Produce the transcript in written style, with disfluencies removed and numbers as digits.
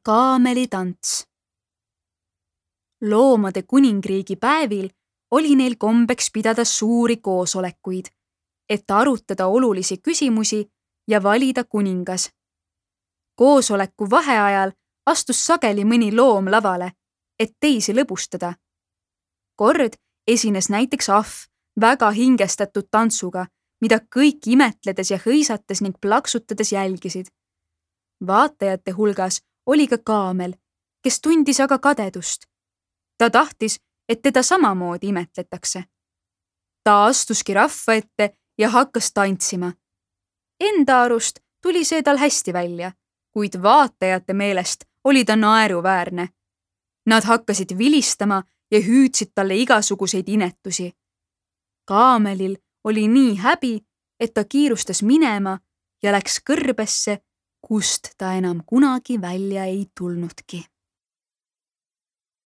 Kaamelitants. Loomade kuningriigi päevil oli neil kombeks pidada suuri koosolekuid, et arutada olulisi küsimusi ja valida kuningas. Koosoleku vaheajal astus sageli mõni loom lavale, et teisi lõbustada. Kord esines näiteks ahv väga hingestatud tantsuga, mida kõik imetledes ja hõisates ning plaksutades jälgisid. Vaatajate hulgas oli ka kaamel, kes tundis aga kadedust. Ta tahtis, et teda samamoodi imetletakse. Ta astuski rahva ette ja hakkas tantsima. Enda arust tuli see tal hästi välja, kuid vaatajate meelest oli ta naeruväärne. Nad hakkasid vilistama ja hüüdsid talle igasuguseid inetusi. Kaamelil oli nii häbi, et ta kiirustas minema ja läks kõrbesse, kust ta enam kunagi välja ei tulnudki.